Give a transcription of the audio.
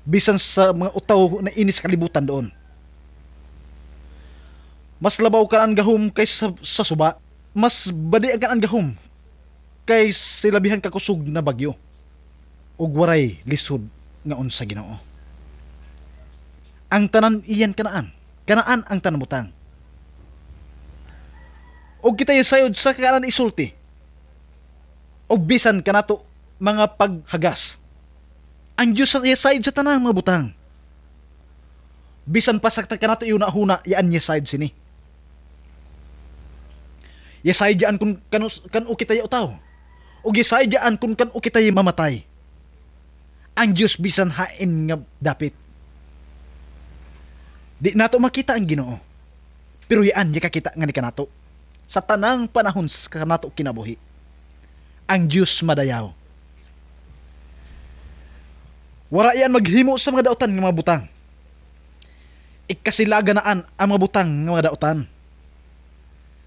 Bisan sa mga utaw na inis kalibutan doon. Mas labaw kanang gahom kaysa sa suba. Mas badi ang kanang gahom kay silabihan ka kusog na bagyo. Ug waray lisod nga unsa Ginoo. Ang tanan iyan kanaan. Kanaan ang tanan butang. Og kita sayod sa kanan isulti. Og bisan kanato mga paghagas. Ang Dios sa sayod sa tanan mga butang. Bisan pa sa kanato iuna-huna, yaan niya sayod sini. Yasayod yaan kung kanu, kanu kita utaw. Og yasayod yaan kung kanu kita mamatay. Ang Dios bisan hain nga dapit. Di nato makita ang Ginoo. Pero yaan niya kakita nga ni kanato. Sa tanang panahon sa kanato kinabuhi. Ang Dios madayaw. Wara yan maghimo sa mga dautan nga mga butang. Ikasilaga naan ang mga butang nga mga dautan.